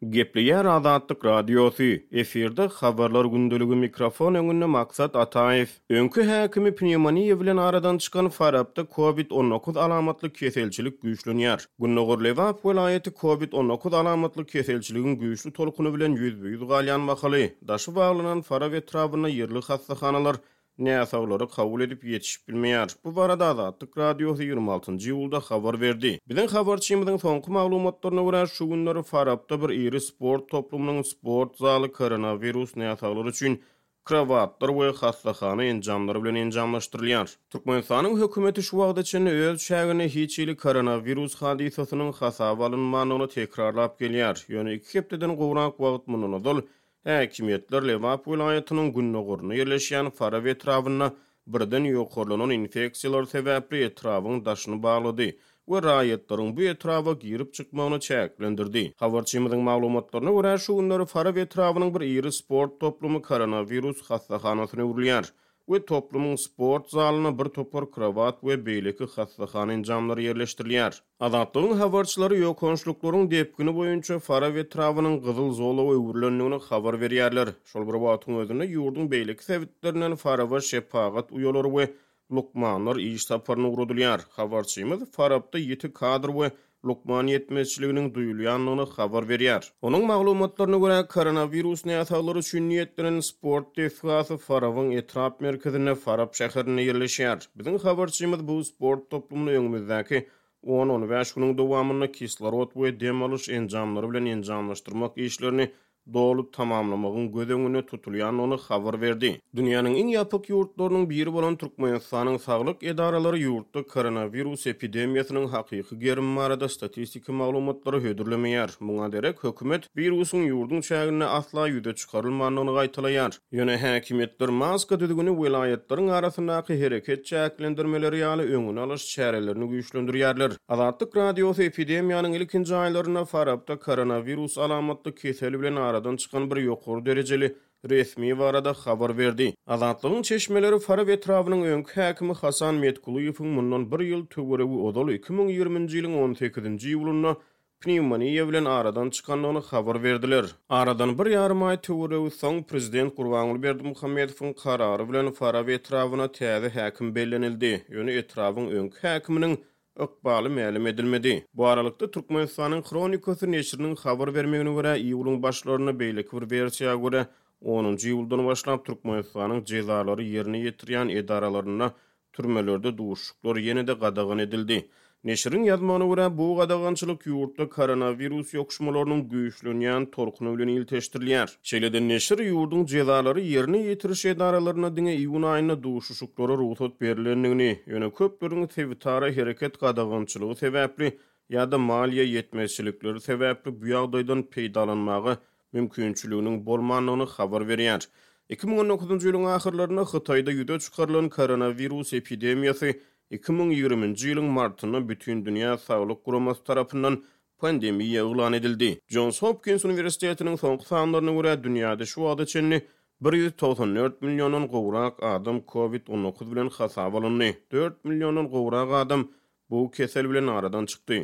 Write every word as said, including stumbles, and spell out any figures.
Gepleýär Azatlyk Radiosy, efirde Habarlar gündeligi mikrofon öňünde Maksat Ataýew. Öňki häkimi pnewmoniýa bilen aradan çykan Farapda Covid on dokuz alamatly keselçilik güýçlenýär. Gündogar Lebap welaýaty Covid on dokuz alamatly keselçiligiň güýçli tolkuny bilen ýüzbe-ýüz galýan mahaly, daşy baglanan Farap etrabynda ýerli hassahanalar näsaglary kabul edip ýetişip bilmeýär. Bu barada Azatlyk Radiosy ýigrimi altynjy iýulda habar berdi. Biziň habarçymyzyň soňky maglumatlaryna görä, şu günler Farapda bir iri sport toplumynyň sport zaly koronawirus näsaglary üçin krowatlar we hassahana enjamlary bilen enjamlaşdyrylýar. Türkmenistanyň hökümeti şu wagta çenli öz çäginde hiç hili koronawirus hadysasynyň hasaba alynmandygyny tekrarlap gelýär. Ýöne iki hepdeden gowrak wagt mundan ozal häkimiýetler Lebap welaýatynyň gündogarynda ýerleşýän Farap etrabynda birden ýokarlanan infeksiýalar sebäpli etrabyň daşyny baglady we raýatlaryň bu etraba girip çykmagyny çäklendirdi. Habarçymyzyň maglumatlaryna görä, şu günler Farap etrabynyň bir iri sport toplumy koronawirus hassahanasyna öwrülýär we toplumyň sport zalyna bir topar krowat we beýleki hassahana enjamlary ýerleşdirilýär. Azatlygyň habarçylary ýokançlyklaryň depgini boýunça Farap etrabynyň gyzyl zolaga öwrülendigini habar berýärler. Şol bir wagtyň özünde ýurduň beýleki sebitlerinden Faraba şepagat uýalary we lukmanlar iş saparyna ugradylýar. Habarçymyz Farapda ýiti kadr we lukman ýetmezçiliginiň duýulýandygyny habar berýär. Onuň maglumatlaryna görä, koronawirus näsaglary üçin niýetlenen sport desgasy Farabyň etrap merkezinde Farap şäherinde ýerleşýär. Biziň habarçymyz bu sport toplumyny öňümizdäki on-on bäş günüň dowamynda kislorod we dem alyş enjamlary bilen enjamlaşdyrmak işlerini doly tamamlamagyň göz öňünde tutulýandygyny habar berdi. Dünýäniň iň ýapyk ýurtlarynyň biri bolan Türkmenistanyň saglyk edaralary ýurtda koronawirus epidemiýasynyň hakyky gerimi barada statistiki maglumatlary hödürlemeýär. Muňa derek hökümet wirusyň ýurduň çäginde asla ýüze çykarylmandygyny gaýtalaýar. Ýöne häkimiýetler maska düzgüni welaýatlaryň arasyndaky hereket çäklendirmeleri ýaly öňüni alyş çärelerini güýçlendirýärler. Azatlyk Radiosy epidemiýanyň ilkinji aýlarynda Farapda koronawirus alamatly keseli bilen aradan çykan bir ýokary derejeli resmi barada habar berdi. Azatlygyň çeşmeleri Farap etrabynyň öňki häkimi Hasan Metkulyýewiň mundan bir ýyl töweregi ozal iki müň ýigriminji ýylyň on sekizinji iýulynda pnewmoniýa bilen aradan çykandygyny habar berdiler. Aradan bir ýarym aý töweregi soň prezident Gurbanguly Berdimuhamedowyň karary bilen Farap etrabyna täze häkim bellenildi. Ýöne etrabyň öňki häkiminiň ykbaly mälim edilmedi. Bu aralykda Türkmenistanyň Hronikasy neşiriniň habar bermegine görä, iýulyň başlarynda beýleki bir wersiýa görä onunjy iýuldan başlap Türkmenistanyň jezalary ýerine ýetirýän edaralarynda türmelerde duşuşyklar ýene-de gadagan edildi. Neşiriň ýazmagyna görä, bu gadagançylyk ýurtda koronawirus ýokuşmalarynyň güýçlenýän tolkuny bilen ilteşdirilýär. Şeýle-de neşir ýurduň jezalary ýerine ýetiriş edaralarynda diňe iýun aýynda duşuşyklara rugsat berilendigini, ýöne köpleriň sebitara hereket gadagançylygy sebäpli ýa-da maliýe ýetmezçilikleri sebäpli bu ýagdaýdan peýdalanmaga mümkinçiliginiň bolmandygyny habar berýär. Iki müň on dokuzynjy ýylyň ahyrlarynda Hytaýda ýüze çykarylan koronawirus epidemiýasy iki müň ýigriminji ýylyň martynda Bütindünýä Saglyk Guramasy tarapyndan pandemiýa yglan edildi. Johns Hopkins Uniwersitetiniň soňky sanlaryna görä, dünýäde şu wagta çenli bir ýüz togsan dört milliondan gowrak adam Covid on dokuz bilen hasaba alyndy. Dört milliondan gowrak adam bu kesel bilen aradan çykdy.